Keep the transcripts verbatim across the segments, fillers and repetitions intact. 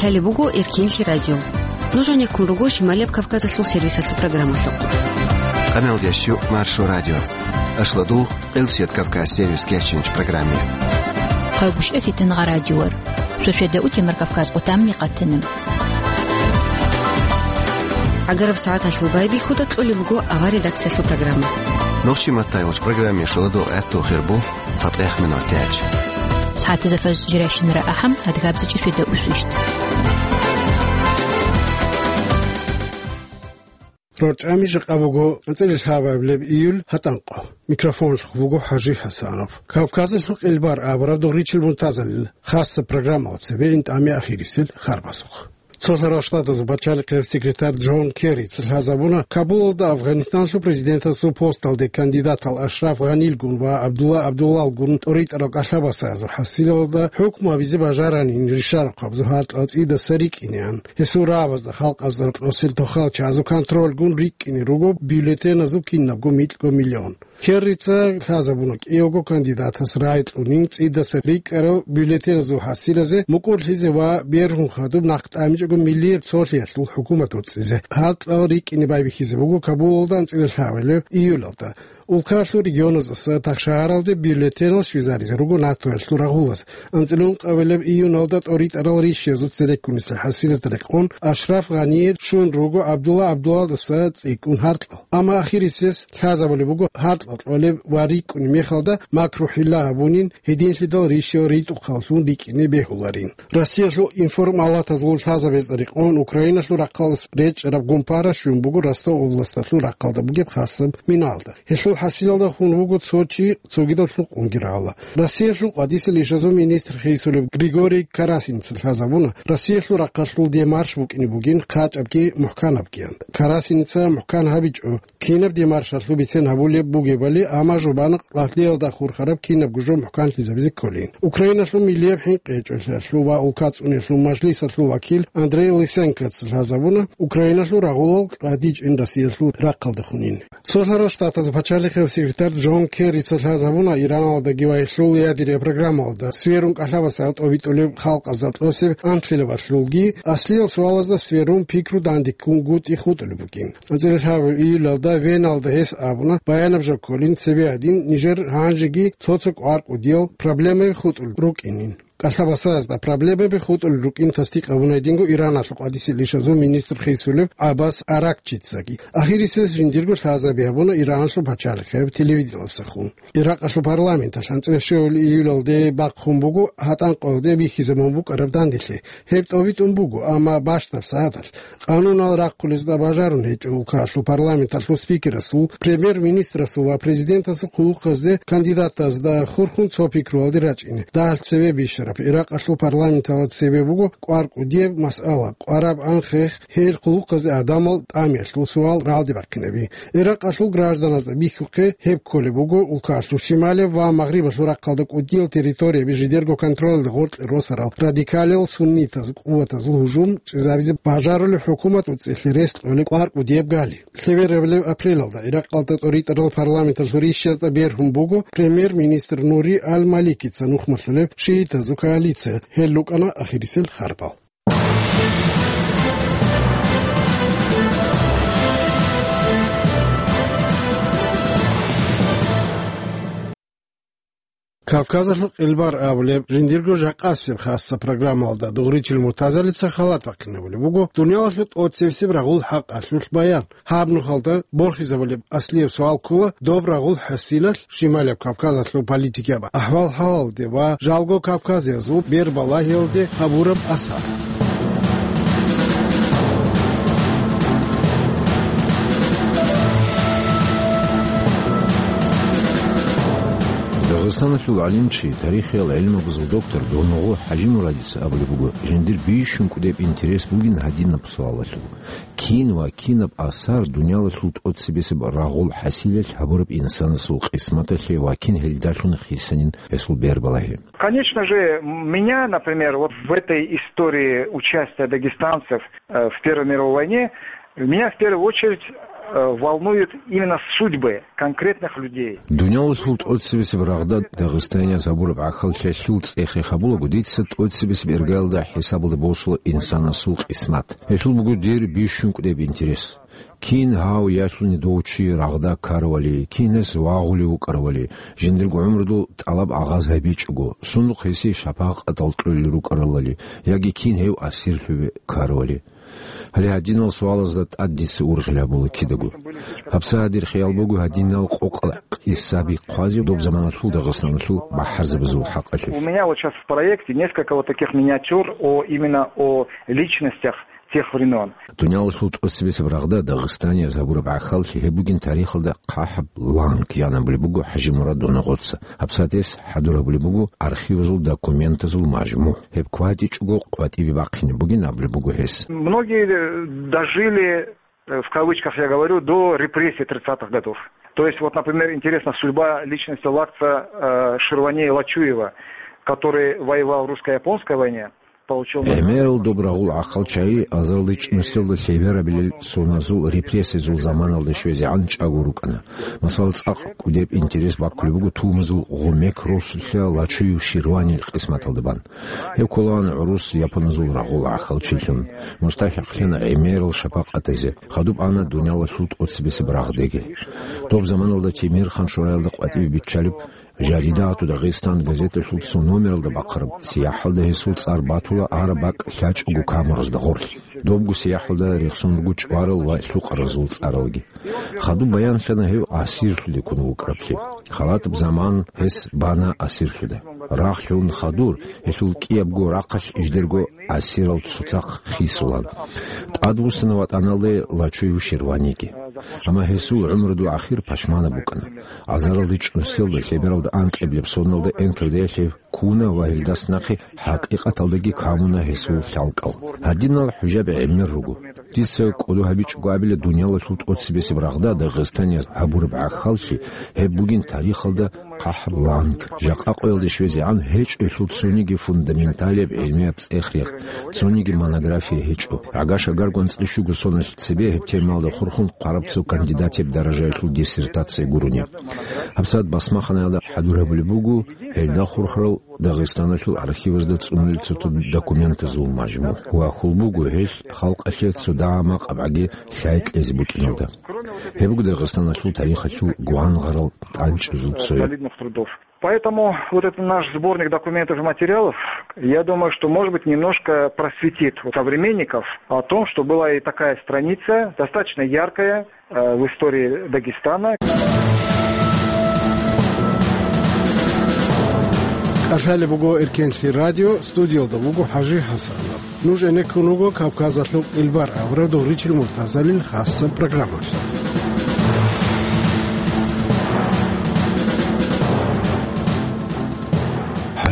Гьале буго Эркинлъи радио. Нуж гьанеккун руго Шималияб Кавказалъул сервисалъул программалъухъ. Къамел дящу Маршо радио. Ашладул, Къилсият Кавказ сервис кечинч программе. Хъайгъуш эфитан гъа радиор. Сосиада утемар Кавказ отамни къатана. ГӀагараб сагӀаталъул байбихьуда кьолеб буго авар редакциялъул программа. Нохчи маттайгъуч программе шуладу гӀатту хирбу. ЦатӀех минут тяч. СагӀатазда фаз жирайщинара ахӀам, адгабза чӀисвида усвищт. РорчӀами жакъа буго анцӀила лъабабилеб июль гьатӀанкъо. Микрофонлъухъ буго ХӀажи ХӀасанов. Кавказалъул къилбар абураб дугъричил мунтазалил хасса программала цебе интӀами ахирисел харбазухъ. Цолъарал Штатазул пачалихъияб секретарь Джон Керрица лъазабуна Кабулалда Афганистаналъул президентасул посталде кандидатал Ашраф Гъанилгун ва Абдулла Абдуллалгун тӀоритӀарал кӀалъабасазул хӀасилалда хӀукму гьабизе бажаранин ришарахъабазул гьаркьал цӀидаса рикӀкӀинеян. Гьесул рагӀабазда халкъазда рокьосел тохал чагӀазул контрольгун рикӀкӀине руго бюллетеназул кинабго микьго миллион. Керрица лъазабуна кӀиявго кандидатас рагӀи кьунин цӀидаса рикӀкӀарал бюллетеназул хӀасилазе мукӀурлъизе ва бергьун хадуб нахъ тӀамичӀого миллияб цолъиялъул хӀукумат уцӀизе. Гьаркьал рикӀкӀине байбихьизе буго Кабулалда анцӀила лъабабилеб июлалда. Улкаялъул регионаздаса тахшагьаралде бюллетенал щвезаризе руго НАТОялъул рагъулаз. АнцӀила ункъабилеб июналда тӀоритӀарал ришиязул цереккунисел хӀасилазда рекъон Ашраф Гъание щун руго Абдулла Абдуллалдаса цӀикӀкӀун гьаркьал. Амма ахирисез лъазабулеб буго гьаркьал кьолеб ва рикӀкӀунеб мехалда макру-хӀилла гьабунин, гьединлъидал ришиял ритӀухъаллъун рикӀкӀине бегьуларин. Россиялъул информалатазул лъазабазда рекъон Украиналъул рахъалас речӀчӀараб гумпара щун буго Ростов областалъул рахъалда бугеб хасаб миналда. Гьелъул хӀасилалда хун вуго цо чи цогидал лъукъунги рагӀула. Россиялъул къватӀисел ишазул министр хисулеб Григорий Карасинца лъазабуна Россиялъул рахъалъул демарш букӀине бугин хъачӀабги мухӀканабгиян. Карасинца мухӀкан гьабичӀо, кинаб демаршалъул бицен гьабулеб бугебали, амма жубана къватӀиялда хурхараб кинабго жо мухӀканлъизабизе кколин. Украиналъул миллияб хӀинкъичӀолъиялъул ва улка цӀуниялъул мажлисалъул вакил Андрей Лысенкоца лъазабуна Украиналъул рагъулал къватӀичӀин Россиялъул рахъалда хунин. Цолъарал Штатазул пачалихъияб секретарь Джон Керрица лъазабуна Ираналдаги ва гьелъул ядерия программалда сверун кӀалъабасагӀат тӀобитӀулеб халкъазда кьосеб анлъилабалъулги, аслиял суалазда сверун пикру дандеккунгутӀи хутӀулеб бугин. АнцӀила лъабабилеб июлалда Веналда гьес абуна, баянаб жо кколин цебе гьадин, нижер гьанжеги цо-цо кӀвар кӀудиял проблемаби хутӀулел рукӀинин. КӀалъабасазда проблемаби хутӀулел рукӀин тасдикъ гьабуна гьединго Ираналъул къватӀисел ишазул министр хисулев ГӀаббас Аракчицаги. Ахирисез жиндирго лъазаби гьабуна Ираналъул пачалихъияб телевидениялдасахун. Иракъалъул парламенталъ анцӀила щуабилеб июлалде бахъун буго гьатӀанкъоялде бихьизабун букӀараб данделъи. Гьеб тӀобитӀун буго, амма бащдаб сагӀаталъ. Къанунал рахъулезда бажарун гьечӀо улкаялъул парламенталъул спикерасул, премьер-министрасул ва президентасул хъулухъазде кандидатазда хурхун цо пикруялде рачӀине. Дагьалъ цебе бищараб Иракъалъул парламенталда цебе буго кӀвар кӀудияб масъала, къвараб анхъех гьел хъулухъазе гӀадамал тӀамиялъул суал рагӀалде бахъинаби. Иракъалъул гражданазда бихьухъе гьеб кколеб буго улкаялъул шималияб ва магърибалъул рахъалда кӀудиял территорияби жидерго контролалда гъоркье росарал радикалиял суннитаз къуватазул гьужум чӀезаризе бажарулеб хӀукумат уцӀилъи рес кьолеб кӀвар кӀудияб гали. Лъеберабилеб апрелалда Иракъалда тӀоритӀарал парламенталъул ришшазда бергьун буго премьер-министр Нури аль-Маликица нухмалъулеб шиитазул коалиция, гьел рукӀана ахирисел харбал. Кавказалъул къилбар абулеб жиндирго жакъасеб хасса программалда дугъричил Муртазалица халат бахъинабулеб буго дуниялалъул тӀоцебесеб рагъул хӀакъалъулъ баян. Гьаб нухалда борхизабулеб аслияб суал ккола, доб рагъул хӀасилалъ Шималияб Кавказалъул политикияб ахӀвал-хӀалалде ва жалго кавказиязул бербалагьиялде гьабураб асар. Дагъистаналъул гӀалимчи, тарихиял гӀилмабазул доктор Дурнугъу ХӀажимурадица абулеб буго, жиндир бищун кӀудеб интерес бугин гьадинаб суалалъул. Кин ва кинаб асар дуниялалъул тӀоцебесеб рагъул хӀасилалъ гьабураб инсанасул къисматалъе ва кин гьелдалъун хисанин гьесул бербалагьи? Конечно же, меня, например, вот в этой истории участия дагестанцев, э, в Первой мировой войне, меня в первую очередь э, волнуют именно судьбы конкретных людей. Дуниялалъул тӀоцебесеб рагъда дагъистанияз гьабураб гӀахьаллъиялъул цӀех-рех гьабулаго, дица тӀоцебесеб иргаялда хӀисабалде босула инсанасул къисмат. Гьелъул буго дир бищун кӀудеб интерес. Кин гьав ялъуни дов чи рагъда ккаравали, кин гьес вагъулев вукӀаравали, жиндирго гӀумрудул тӀалаб агъаз гьабичӀого, сундухъ гьесие шапакъатал кьолел рукӀаралали, яги кин гьев асирлъуве ккаравали. Гьале гьадинал суалазда тӀад дица ургъел гьабула кидаго. Гьабсагьадир хиял буго гьадинал къокъал къисаби хъвазе доб заманалъул Дагъистаналъул бахӀарзабазул хӀакъалъулъ. У меня вот щас в проекте несколько вот таких миниатюр о, именно о личностях тех времён. Дуниялалъул тӀоцебесеб рагъда дагъистанияз гьабураб гӀахьаллъи гьеб бугин тарихалда хъахӀаб ланг, ян абулеб буго ХӀажимурад Доногъоца. Гьабсагьат гьес хӀадур гьабулеб буго архивазул документазул мажму. Гьеб кватӀичӀого къватӀибе бахъине бугин абулеб буго гьес. Многие, э, дожили, э, в кавычках я говорю, до репрессий тридцатых годов. То есть, вот, например, интересна судьба личности Лакца, э, Ширвани Лачуева, который воевал в русско-японской войне, получил на... ГӀемерал доб рагъул гӀахьалчагӀи азарилда чӀунусиялда лъеберабилел соназул репрессиязул заманалда щвезегӀан чӀаго рукӀана. Масала, цӀакъ кӀудеб интерес баккулеб буго Тумазул гъумек росулъа Лачуев Ширванил къисматалда бан. Гьев кколаан гӀурус японазул рагъул гӀахьалчилъун, мустахӀикълъана гӀемерал шапакъатазе, хадуб ана дуниялалъул тӀоцебесеб рагъдеги. Доб заманалда Темирхан шураялда къватӀибе биччалеб «Жарида ту Дагъистан» газеталъул цо номералда бахъараб сияхӀалда гьесул цӀар батула араб бакӀ лъачӀого камуразда гъорлъ. Добго сияхӀалда рехсон руго чӀварал ва лъукъаразул цӀаралги. Хадуб баянлъана гьев асирлъуде ккун вукӀараблъи. Халатаб заман гьес бана асирлъуда. Рагъ лъун хадур, гьелъул кӀиябго рахъалъ иждерго асирал цоцахъ хисулан. ТӀадвуссана ватӀаналде Лачуев Ширваниги. Амма гьесул гӀумрудул ахир пашманаб букӀана. Азаралда чӀунусиялда лъебералда анкьаблеб соналда Н К В Д-ялъ гьев ккуна ва гьелдас нахъе хӀакъикъаталдаги камуна гьесул лъалкӀал. Гьадинал хӀужаби гӀемер руго. Дица кӀодо гьабичӀого абила, дуниялалъул тӀоцебесеб рагъда Дагъистанияз гьабураб гӀахьаллъи гьеб бугин тарихалда хъахӀаб ланг. Жакъа къоялде щвезегӀан гьечӀо гьелъул цониги фундаменталияб гӀилмияб цӀех-рех, цониги монография гьечӀо. ГӀага-шагарго анцӀила щуго соналъ цебе гьеб темалда хурхун хъвараб цо кандидатияб даражаялъул диссертация гурони. ГьабсагӀат басмаханаялда хӀадур гьабулеб буго гьелда хурхарал Дагъистаналъул архивазда цӀунулел цо-цо документазул мажму ва хьул буго гьелъ халкъалъе цо дагьа-макъ абгӀаги лъай кьезе букӀиналда. Гьеб буго Дагъистаналъул тарихалъул гвангъарал тӀанчӀазул цояб. Солидных трудов. Поэтому вот этот наш сборник документов и материалов, я думаю, что, может быть, немножко просветит вот современников о том, что была и такая страница, достаточно яркая, э, в истории Дагестана. КӀалъалеб буго Эркенлъи радио, студиялда вуго ХӀажи ХӀасанов. Нуж гӀенеккун руго Кавказалъул кьилбар абураб дов ричӀел муртазалил хасаб программалъ.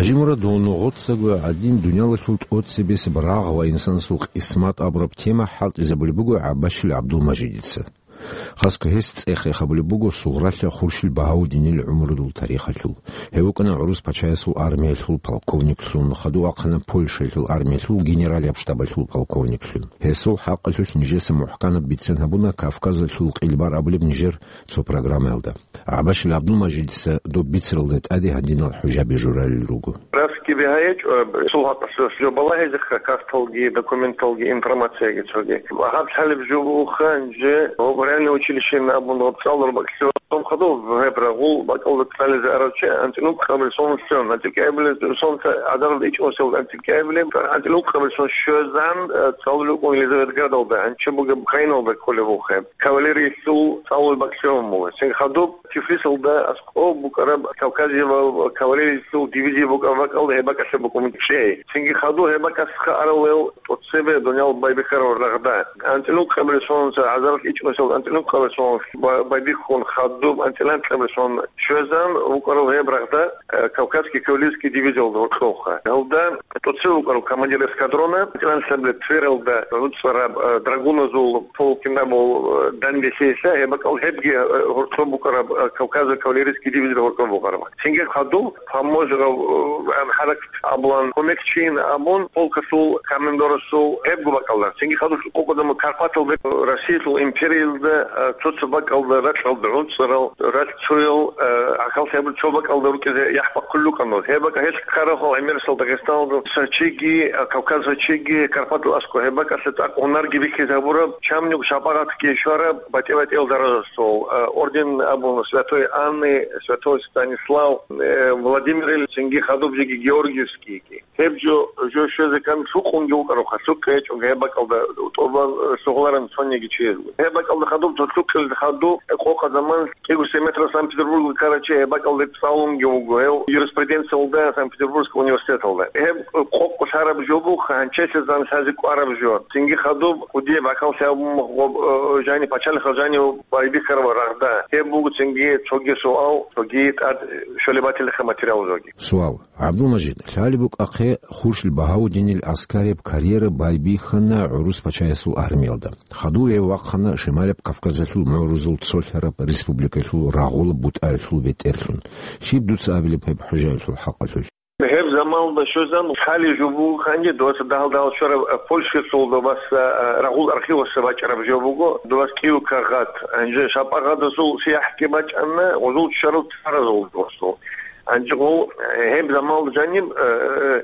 ХӀажимурад Доногъоцаго гӀадин дуниялалъул тӀоцебесеб рагъ ва инсанасул къисмат абураб тема хӀалтӀизабулеб буго ГӀаббашил ГӀабдулмажидица. Хасго гьес цӀех-рех гьабулеб буго Сугъралъа Хуршил Багьаудинил гӀумрудул тарихалъул. Гьев вукӀана гӀурус пачаясул армиялъул полковниклъун, хадув вахъана Польшаялъул армиялъул генералияб штабалъул полковниклъун. Гьесул хӀакъалъулъ нижеца мухӀканаб бицен гьабуна Кавказалъул кьилбар абулеб нижер цо программаялда. ГӀаббашил ГӀабдулмажидица доб бицаралда тӀаде гьадинал хӀужаби журалел руго. Расги бигьа гьечӀо, гьесул хӀакъалъулъ жо балагьизеха, карталги, документалги, информацияги цоги. Гьаб лъалеб жо бугоха, нижер военное училищеян абун гьаб цӀалул бакӀлъун хадуб гьеб рагъул бакӀалда цӀализе арав чи антилукъабилсонлъун, антикабилсонлъа гӀадаралда ичӀунсел антикабилеб, антилукъабилсон щвезан, э, цӀалулев вукӀун Елизаветградалда, гьанчи бугеб Украиналда кколеб вухъе. Кавалериялъул цӀалул бакӀлъун буго. Цин хадуб Тифлисалда аскӀоб букӀараб Кавказияб кавалериялъул дивизия букӀараб бакӀалда гьеб бакӀалъе букӀун чӀей. Цинги хадуб гьеб бакӀасха аралел тӀоцебе дуниял байбихьарал рагъда. АнцӀила укъабилеб сонуца гӀазаралъ ичӀнусел анцӀила укъабилеб сонуца ба-, байбихьун хадуб Доб анцӀила анкьабилеб щвезан вукӀарав гьеб рагъда, э, Кавказский кавалерийский дивизиялда гьоркьовха. Гьелда тӀоцебе вукӀарав командир эскадрона, анцӀила анкьабилеб Твералда гӀуцӀараб, э, драгуназул полкин абул, э, данделъиялъа, гьеб бакӀал гьебги, э, гьоркьоб букӀараб, э, Кавказа кавалерийский дивизияда гьоркьоб букӀараб. Цинги хадуб Таможгъав, э, хӀаракат абулан, кумекчейин абун, полкалъул командирасул гьебго бакӀалда. Цинги хадуб къокъ заман Карпаталда, Россиялъул империялда, э, цо-цо бакӀалда ракьалда гӀуцӀарал, ралъцоял, э, гӀахьаллъи абун цо бакӀалда рукӀизе яхӀ бахъулел рукӀана. Гьеб бакӀ гьелъ ккараб гьал гӀемерисел Дагъистаналда сочиги, э, Кавказа сочиги, Карпатал аскӀоб гьеб бакӀалъе цӀакъ гьунарги бихьизе гьабураб, чамнуг шапагъатги щвараб, батӀи-батӀиял даражасул, э, орден абун Святой Анны, Святой Станислав, э, Владимирил, цинги хадуб жеги Георгиевскийги. Гьеб жо, жо щвезе ккан лъукъунги вукӀаравха, лъукъ гьечӀого гьеб бакӀалда тӀубан, э, лъугьуларан цониги чиясго. Гьеб бакӀалда хадуб цо лъукъил хадуб, э, къокъа заман кӀиго-сей метр Санкт-Петербургда ккарав чи гьеб бакӀалда цӀалунги вуго, гьев юриспруденциялда Санкт-Петербургский университеталда. Гьеб, э, къокъ лъараб жо буха, гьанчелъизан лъазе кӀвараб жо. Цинги хадуб кӀудияб гӀахьаллъи абун гъоб, э, жани пачалихъал жани байбихьараб рагъда. Гьеб буго цинги цоги суал, цоги тӀад щолеб батилаха материал жоги. Суал. ГӀабдулмажид, лъалеб букӀахъе, Хуршил Багьаудинил аскарияб карьера байбихьана гӀурус пачаясул армиялда. Хадув гьев вахъана Шималаб Кавказалъул мугӀрузул цолъараб республикалъул рагъулаб бутӀаялъул бетӀерлъун. Щиб дуца абилеб гьеб хӀужаялъул хӀакъалъулъ? Гьеб заманалда щвезан лъалеб жо буго гьанже дуваса дагьал-дагьал щвараб, а, Польшалъул дубаса, а, рагъул архивалъа бачӀараб жо буго, дубас кӀиго кагъат. Гьанже шапагъатазул сияхӀги бачӀана, гъозул ччарал царазул досул. Гьанже гъол, э, гьеб заманалда жаниб, э, э,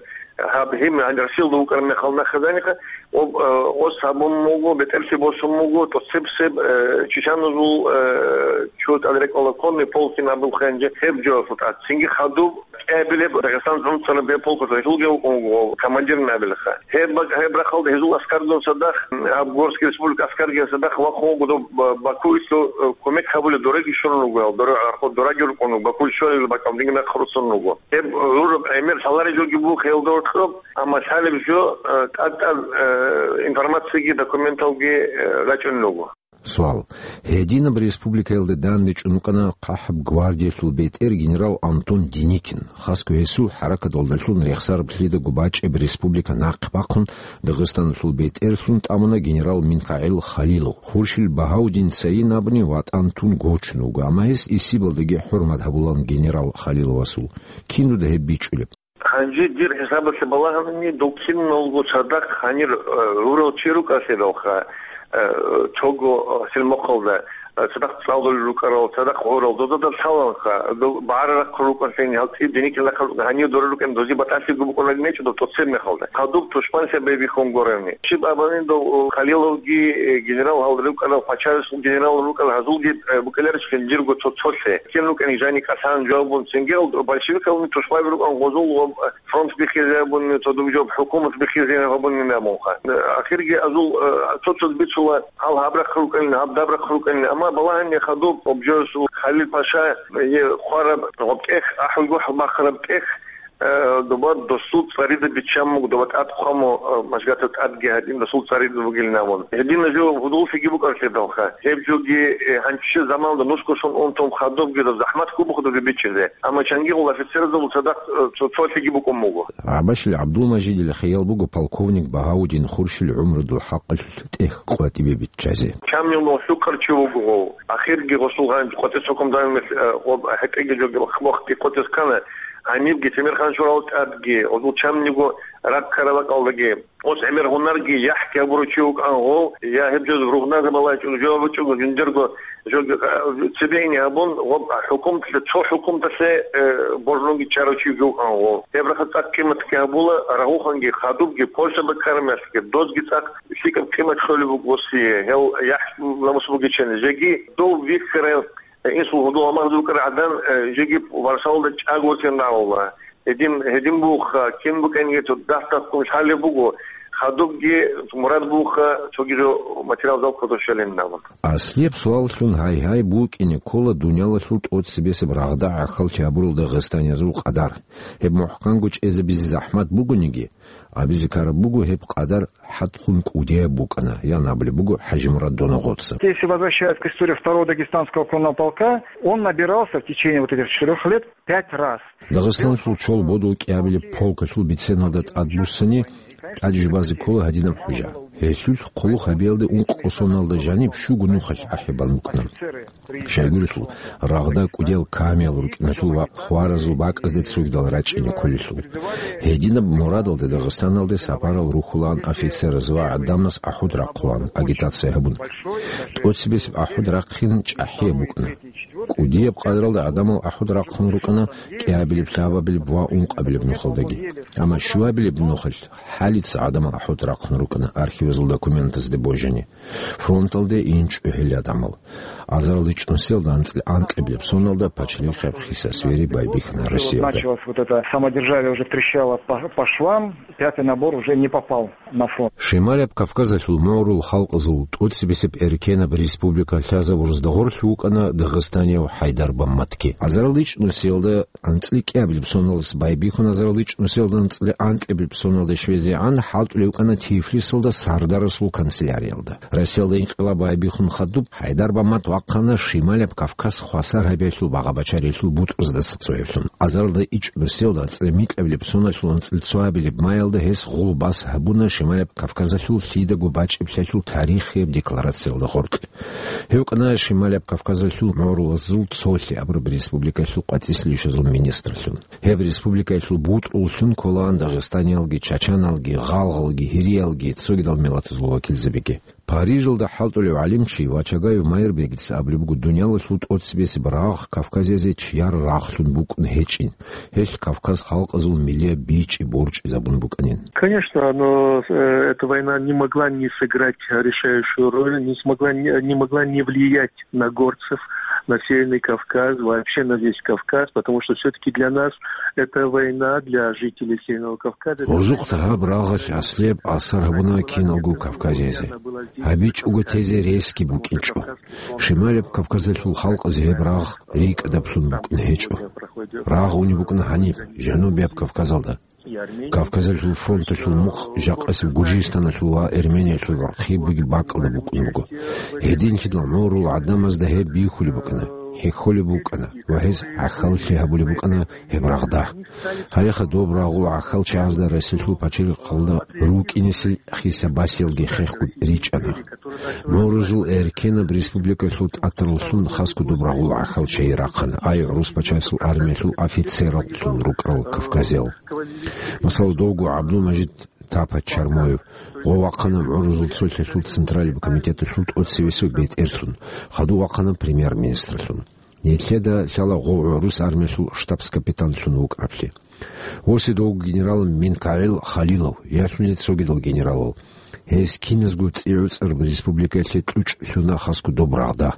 гьаб гьим гьанже Россиялда вукӀараб мехалда нахъе жаниха, об, э, ос гьабун буго, бетӀерлъи босун буго, тӀоцебсеб, э, чеченазул, э, чо тӀад рекӀала конный полк абулха гьанже гьеб жоялъул тӀад. Цинги хадуб кӀиабилеб Дагъистан гӀуцӀараб гьеб полкалъул гьелъулги вукӀун вуго командирни абилаха. Гьеб бак-, гьеб рахъалда гьезул аскарзул цадахъ, гьаб Горский республика аскарзул цадахъ вахъун вуго доб Ба-, Бакуялъул, э, кумек гьабулеб дораги щолун вуго, дора-, дораги рукӀун вуго, Бакуялъ щолеб бакӀал динги нахъ руссун вуго. Гьеб гӀураб гӀемер лъалареб жоги буго хелдор кьоб, амма лъалеб жо, э, тӀад-тӀад, э, информациялги, документалги, э, рачӀунел руго. Суал. Гьединаб республикаялда данде чӀун вукӀана ХъахӀаб гвардиялъул бетӀер генерал Антон Деникин. Хасго гьесул хӀаракаталдалъун рехсараб лъидаго бачӀеб республика нахъе бахъун, Дагъистаналъул бетӀерлъун тӀамуна генерал МикагӀил Халилов. Хуршил Багьаудин цайин абуни ватӀан тун гочун вуго, амма гьес исибалдаги хӀурмат гьабулан генерал Халиловасул. Кин дуда гьеб бичӀчӀулеб? Гьанже дир хӀисабалъе балагьани, дов киналго цадахъ гьанир, э, гӀурал чи рукӀалъидалха, э, цого, э, силмохъалда, э, цадахъ цӀалулел рукӀарал, цадахъ гӀурал, дозда лъаланха, дов багӀарарахъ рукӀанлъани, гьал цӀив Деникин рахъал гьанив дора рукӀани, дозе батӀалъиго букӀунарин гьечӀо дов тӀоцеб мехалда. Хадуб тушман лъабабихьун гурони. Щиб абани дов, э, Халиловги, э, генерал гьал рукӀарал, пачалъул генерал рукӀарал гьазулги, э, букӀиларищ жиндирго цо-цолъе. Кин рукӀани жани кӀалъан жавабун, цинги гьал большевикални тушмаби рукӀан гъозул ва, э, фронт бихьизе гьабуни, цо дуб жо хӀукумат бихьизе гьабуни абунха. Ахирги азул, э, цо-цо бицула, гьал гьаб рахъ рукӀанин, гьаб даб рахъ рукӀанин. Амма балагьани хадуб, обжоясул Халил Паша, э, хвараб гъоб тӀех, ахӀулгохӀ бахъараб тӀех, э, доба досул цӀарида биччан буго, доба тӀад хъван буго, э, мажгата тӀадги гьадин досул цӀарида бугилин абун. Гьедина жо гьудуллъиги букӀарлъидалха. Гьеб жоги, э, гьанчи заманалда нусго сон унтун хадубги доб захӀмат ккун буго доби бичӀчӀизе. Амма чангигъул офицерзабул цадахъ, э, цо-, цолъиги букӀун буго. ГӀабашил ГӀабдулмажидил хиял буго полковник Багьаудин Хуршил гӀумрудул хӀакъалъулъ тӀех къватӀибе биччазе. Чамнилъун лъукъарчи вуго гъов. Ахирги гъосул гъанж къватӀес хӀукму данилан, э, гъоб хӀетӀеги жоги вахъ-вахъги къватӀес ккана, гьанибги Темирхан-Шурал тӀадги, гъозул чамниго раккараб бакӀалдаги. Ос гӀемер гьунарги яхӀги гьабурав чи вукӀан гъов, я гьеб жо ругъназабалай чӀун жо вачӀун жиндирго жо, а, цебейни гьабун, гъоб хӀукуматалъе, цо хӀукуматалъе, э, божунги чарав чи вукӀан гъов. Гьеб рахъа цӀакъ къиматги гьабула, рагъуханги, хадубги, Польшаба ккараб мехалъги, дозги цӀакъ лъикӀаб къимат лъолеб буго осие, гьел яхӀ намус бугичӀани. Жеги дов вихьарав Инсул гьудул амагъ букӀараб гӀадан, э, жеги Варшавалда чӀаго ватин рагӀула. Гьедин, гьедин буха, кин букӀаниги цо дагь-дагьккун лъалеб буго, хадубги мурад буха, цоги жо материал залкъа дошалин абун. Аслияб суаллъун гьай-гьай букӀине ккола дуниялалъул тӀоцебесеб рагъда гӀахьаллъи гьабурал дагъистаниязул къадар. Гьеб мухӀканго чӀезабизе захӀмат бугониги, Абизе ккараб буго, гьеб къадар хӀатӀ хун кӀудияб букӀана, ян абулеб буго ХӀажимурад Доногъоца. Если возвращаясь к истории второго дагестанского конного полка, он набирался в течение вот этих четырёх лет пять раз. Дагъистаналъул чол бодул кӀиабилеб полкалъул биценалда тӀадбуссани, тӀаде жубазе ккола гьадинаб хӀужа. Гьелъул хъулухъ гьабиялде ункъо соналда жаниб щуго нухалъ ахӀи балун букӀана. Щайгурелъул, рагъда кӀудиял камиял рукӀиналъул ва хваразул бакӀазде цогидал рачӀине кколелъул. Гьединаб мурадалде Дагъистаналде сапарал рухьулаан офицераз ва гӀадамаз ахӀут рахъулаан агитация гьабун. ТӀоцебесеб ахӀут рахъин чӀахӀияб букӀана. КӀудияб къадралда гӀадамал ахӀут рахъун рукӀана кӀиабилеб, лъабабилеб ва ункъабилеб нухалдаги. Амма щуабилеб нухалъ хӀалица гӀадамал ахӀут рахъун рукӀана архивазул документазде божани. Фронталде инчӀо гьел гӀадамал. Азарал ичӀнусиялда анцӀила анкьабилеб соналда пачалихъаб хиса-свери байбихьана Россиялда. Началось вот это самодержавие, уже трещало по, по швам, пятый набор уже не попал на фронт. Шималаб Кавказалъул мугӀрул халкъазул тӀоцебесеб эркенаб республика лъазабурзда гъорлъ вукӀана дагъистанияв ХӀайдар Бамматги. Азарал ичӀнусиялда анцӀила кӀиабилеб соналдаса байбихьун, азарал ичӀнусиялда анцӀила анкьабилеб соналде щвезегӀан хӀалтӀулев вукӀана Тифлисалда Сардарасул канцеляриялда. Россиялда инкъилаб байбихьун хадуб, ХӀайдар Баммат вахъана Шималаб Кавказ хвасар гьабиялъул багъа-бачариялъул бутӀруздаса цояблъун. Азаралда ичӀнусиялда анцӀила микьабилеб соналъул анцӀила цоабилеб маялда гьес гъулбас гьабуна Шималаб Кавказалъул лъидаго бачӀиблъиялъул тарихияб декларациялда гъоркь. Гьев вукӀана Шималаб Кавказалъул мугӀрулазул цолъи абураб республикаялъул къватӀислъи ишазул министрлъун. Гьеб республикаялъул бутӀруллъун кколаан дагъистаниялги, чачаналги, гъалгъалги, гьириялги, цогидал миллатазул вакилзабиги. Парижалда хӀалтӀулев гӀалимчи Вачагаев Майрбегица абулеб буго, дуниялалъул тӀоцебесеб рагъ Кавказазе чияр рагълъун букӀун гьечӀин, гьелъ Кавказ халкъазул миллияб бичӀчӀи борчӀизабун букӀанин. Конечно, но, э, эта война не могла не сыграть решающую роль, не смогла, не, не могла не влиять на горцев, на Северный Кавказ, вообще на весь Кавказ, потому что всё-таки для нас это война, для жителей Северного Кавказа. Гьезухъ гьаб рагъалъ аслияб асар гьабуна киналго кавказиязе. ГьабичӀого тезе ресги букӀинчӀо. Шималаб Кавказалъул халкъазе гьеб рагъ рикӀкӀадаблъун букӀун гьечӀо. Рагъ унеб букӀана гьаниб, Жанубияб Кавказалда. Кавказалъул фронталъул мухъ жакъасеб Гуржистаналъул ва Эрмениялъул рахъ бугеб бакӀалда букӀун буго. Гьединлъидал мугӀрул гӀадамазда гьеб бихьулеб букӀана, хӀехьолеб букӀана ва гьез гӀахьаллъи гьабулеб букӀана гьеб рагъда. Гьалеха доб рагъул гӀахьалчагӀазда Россиялъул пачалихъалда рукӀинесел хиса-басиялги хехго ричӀана. МугӀрузул эркенаб республикалъул тӀатараллъун хасго доб рагъул гӀахьалчагӀи рахъана, ай гӀурус пачасул армиялъул офицераллъун рукӀарал кавказиял. Масала, довго ГӀабдулмажид Тапа Чармоев, гъов вахъана мугӀрузул цолъиялъул Централаб комитеталъул тӀоцевесев бетӀерлъун, хадув вахъана премьер-министрлъун. Нилъеда лъала гъов гӀурус армиялъул штабс-капитанлъун вукӀараблъи. Восидовго генерал МинкагӀил Халилов, ялъуни цогидал генералал. Гьез киназго цӀи-гӀуцӀараб республикаялъе кьучӀ лъуна хасго доб рагъда.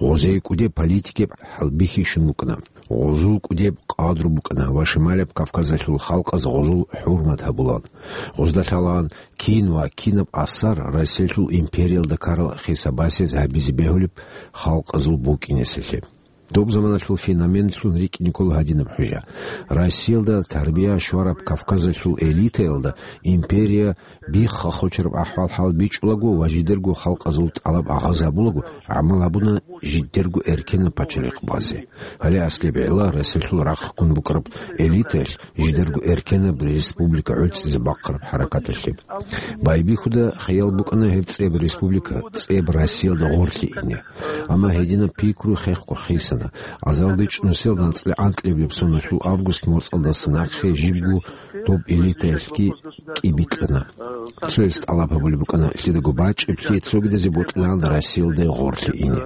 Гъозие кӀудеб политикияб хӀалбихьи щун букӀана. Гъозул кӀудеб къадру букӀана ва Шималаб Кавказалъул халкъаз гъозул хӀурмат гьабулаан. Гъозда лъалаан кин ва кинаб асар Россиялъул империялда ккарал хиса-басиез гьабизе бегьулеб халкъазул букӀинесалъе. Доб заманалъул феноменлъун рикӀкӀине ккола гьадинаб хӀужа. Россиялда тарбия щвараб Кавказалъул элитаялда империя бихха-хочараб ахӀвал-хӀал бичӀчӀулаго ва жидерго халкъазул тӀалаб агъаз гьабулаго, гӀамал гьабуна жидерго эркенаб пачалихъ базе. Гьале аслияб гӀелла Россиялъул рахъ ккун букӀараб элитаялъ жидерго эркенаб республика гӀуцӀизе бахъараб хӀаракаталъе. Байбихьуда хиял букӀана гьеб цӀеб республика, цӀеб Россиялда гъорлъе ине. Амма гьединаб пикру хехго хисана. Азаралда ичӀнусиялда анцӀила анкьабилеб соналъул август моцӀалдаса нахъе жибго доб элитаялъги кӀибикьана. Цояс тӀалаб гьабулеб букӀана лъидаго бачӀиблъи цогидазе бокьилаан Россиялда гъорлъе ине.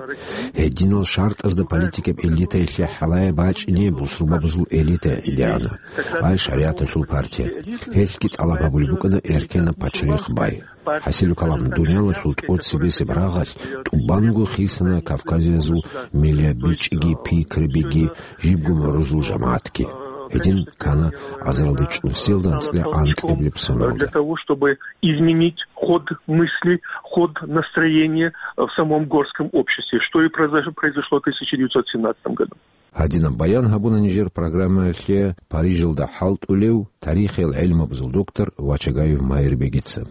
Гьединал шартӀазда политикаб элитаялъе хӀалае бачӀине бусурбабазул элита гӀедегӀана, ай шаригӀаталъул партия. Гьелъги тӀалаб гьабулеб букӀана эркенаб пачалихъ бай. ХӀасилу калам, дуниялалъул тӀоцебесеб рагъалъ тӀубанго хисана кавказиязул миллияб бичӀчӀиги, пикрабиги, жибго мугӀрузул жамагӀатги. Гьедин ккана азаралда ичӀнусиялда анцӀила анкьабилеб соналда. Для того, чтобы изменить ход мысли, ход настроения в самом горском обществе, что и произош-, произошло в тысяча девятьсот семнадцатом году. Гьадинаб баян гьабуна нижер программаялъе Парижалда хӀалтӀулев тарихиял гӀелмабазул доктор Вачагаев Майрбегица.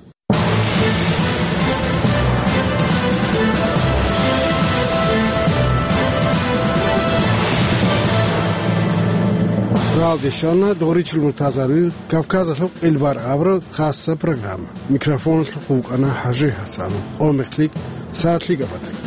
Ралде щвана Доричил Муртазалил Кавказалъул къилбар абураб хасса программа. Микрофоналъухъ вукӀана ХӀажи ХӀасан. Къо-мехлъи сагӀат лъикӀаб батаги.